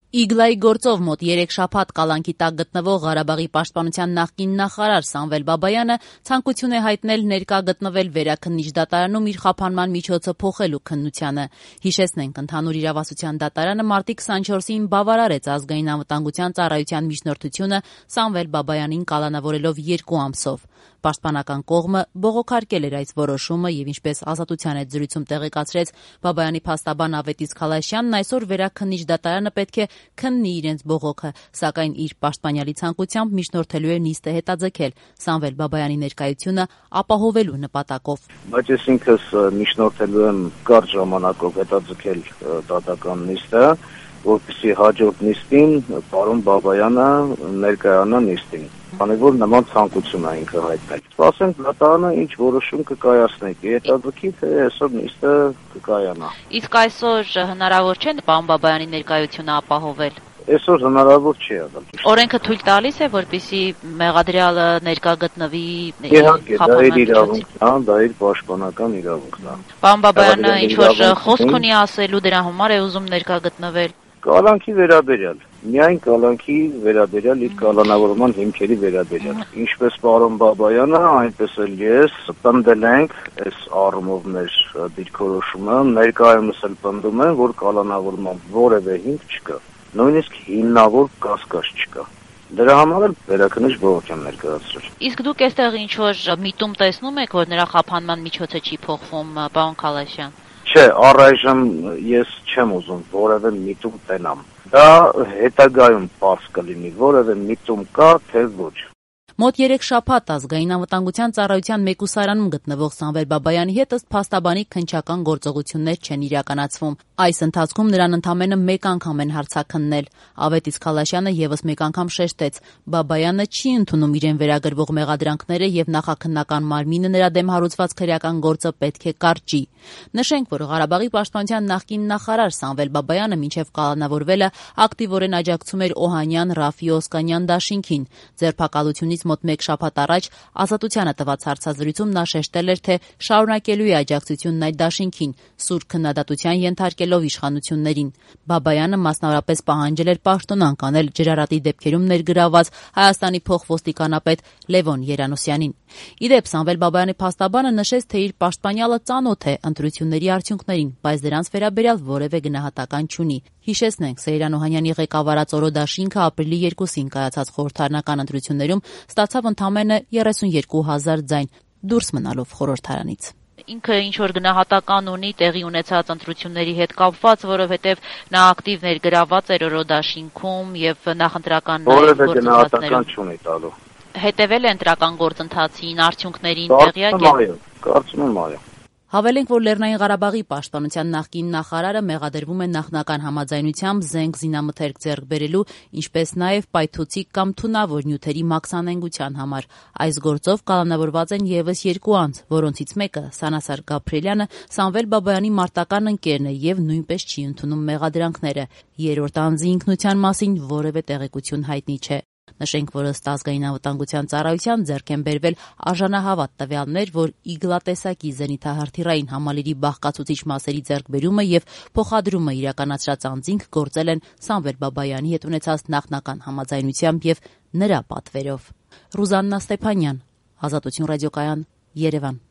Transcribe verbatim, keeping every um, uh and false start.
Իգլայի գործով մոտ երեք շաբաթ կալանքի տակ գտնվող Ղարաբաղի պաշտպանության նախկին նախարար Սամվել Բաբայանը ցանկություն է հայտնել ներկա գտնվել վերաքննիչ դատարանում իր խափանման միջոցը փոխելու քննությանը։ Հիշեցնենք, ընդհանուր իրավասության դատարանը մարտի քսանչորսին բավարարեց ազգային անվտանգության ծառայության միջնորդությունը Սամվել Բաբայանին կալանավորելով երկու ամսով։ Պաշտպանական կողմը բողոքարկել էր այս որոշումը եւ ինչպես Ազատության հետ զրույցում տեղեկացրեց Բաբայանի փաստաբան Ավետից Խալաշյանն, այսօր վերաքննիչ դատարանը պետք է քննի իրենց բողոքը, սակայն իր պաշտպանյալի ցանկությամբ միջնորդելու է նիստը հետաձգել Սամվել Բաբայանի ներկայությունը ապահովելու նպատակով։ Բայց ես ինքս միջնորդելու եմ կարճ ժամանակով հետաձգել դատական նիստը, որպեսզի հաջորդ նիստին պարոն Բաբայանը ներկայանա նիստին, քանի որ նման ցանկություն է ինքը հայտնել։ Սպասենք դատարանը ինչ որոշում կկայացնի, հետաձգի թե այսօր նիստը կկայանա։ Իսկ այսօր հնարավոր չէ պարոն Բաբայանի ներկայությունը ապահովել։ Այսօր հնարավոր չի եղել։ Օրենքը թույլ տալիս է, որպեսզի մեղադրյալը ներկա գտնվի Իհարկե, դա իր իրավունքն է, դա իր պաշտպանական իրավունքն է։ Պարոն Բաբայանը ինչ որ խոսք ունի ասելու, դրա համար է ուզում ներկա գտնվել։ Կալանքի վերաբերյալ, միայն կալանքի վերաբերյալ, իր կալանավորման հիմքերի վերաբերյալ։ Ինչպես պարոն Բաբայանը, այնպես էլ ես պնդել ենք այս առումով մեր դիրքորոշումը, ներկայումս էլ պնդում եմ, որ կալանավորման որևէ հիմք չկա, նույնիսկ հիմնավոր կասկած չկա։ Դրա համար էլ վերաքննիչ բողոք եմ ներկայացրել։ Իսկ դուք այստեղ ինչ որ միտում տեսնում եք, որ նրա խափանման միջոցը չի փոխվում, պարոն Խալաշյան։ Չէ, առայժմ ես չեմ ուզում որևէ միտում տենամ։ Դա հետագայում պարզ կլինի, որևէ միտում կա, թե ոչ։ Մոտ երեք շաբաթ ազգային անվտանգության ծառայության մեկուսարանում գտնվող Սամվել Բաբայանի հետ ըստ փաստաբանի քննչական գործողություններ չեն իրականացվում։ Այս ընթացքում նրան ընդամենը մեկ անգամ են հարցաքննել։ Ավետից Խալաշյանը եւս մեկ անգամ շեշտեց. Բաբայանը չի ընդունում իրեն վերագրվող մեղադրանքները եւ նախաքննական մարմինը նրա դեմ հարուցված քրեական գործը պետք է կարճի։ Նշենք, որ Ղարաբաղի պաշտպանության նախկին նախարար Սամվել Բաբայանը մինչև կալանավորվելը ակտիվորեն աջակցում էր Օհանյան Ռաֆի Օսկանյան դաշինքին։ Ձերբակալությունից մոտ մեկ շաբաթ առաջ Ազատությանը տված հարցազրույցում նա շեշտել էր, թե շարունակելու է աջակցությունն այդ դաշինքին, սուր քննադատության ենթարկելով իշխանություններին։ Բաբայանը մասնավորապես պահանջել էր պաշտոնանկ անել ջրարատի դեպքերում ներգրավված Հայաստանի փոխոստիկանապետ Լևոն Երանոսյանին։ Իդեպ Սամվել Բաբայանի փաստաբանը նշեց, թե իր պաշտպանյալը ծանոթ է ընտրությունների արդյունքներին, բայց դրանց վերաբերյալ որևէ գնահատական չունի։ Հիշեցնենք, Սեյրան Օհանյանի ղեկավարած Օրո դաշինքը ապրիլի երկուսին կայացած խորհրդարանական ընտրություններում ստացավ ընդամենը երեսունյոթ հազար ձայն, դուրս մնալով խորհրդարանից։ Ինքը ինչ որ գնահատական ունի տեղի ունեցած ընտրությունների հետ կապված, որովհետև նա ակտիվ ներգրաված էր Օրո դաշինքում եւ նախընտրական որևէ գնահատական չունի տալու։ Հետևել է ընտրական գործընթացին, արդյունքներին տեղյակ է։ Կարծում եմ, այո։ Հավելենք, որ Լեռնային Ղարաբաղի պաշտպանության նախկին նախարարը մեղադրվում է նախնական համաձայնությամբ զենք զինամթերք ձեռք բերելու, ինչպես նաև պայթուցիկ կամ թունավոր նյութերի մաքսանենգության համար։ Այս գործով կալանավորված են եւս երկու անձ, որոնցից մեկը Սանասար Գաբրիելյանը Սամվել Բաբայանի մարտական ընկերն է եւ նույնպես չի ընդունում մեղադրանքները։ Երրորդ անձի ինքնության մասին որևէ տեղեկություն հայտնի չէ։ Նշենք, որ ըստ ազգային անվտանգության ծառայության ձեռք են բերվել արժանահավատ տվյալներ, որ իգլատեսակի զենիթահրթիռային համալիրի բաղկացուցիչ մասերի ձեռքբերումը եւ փոխադրումը իրականացրած անձինք գործել են Սամվել Բաբայանի հետ ունեցած նախնական համաձայնությամբ եւ նրա պատվերով։ Ռուզաննա Ստեփանյան, Ազատություն ռադիոկայան, Երևան։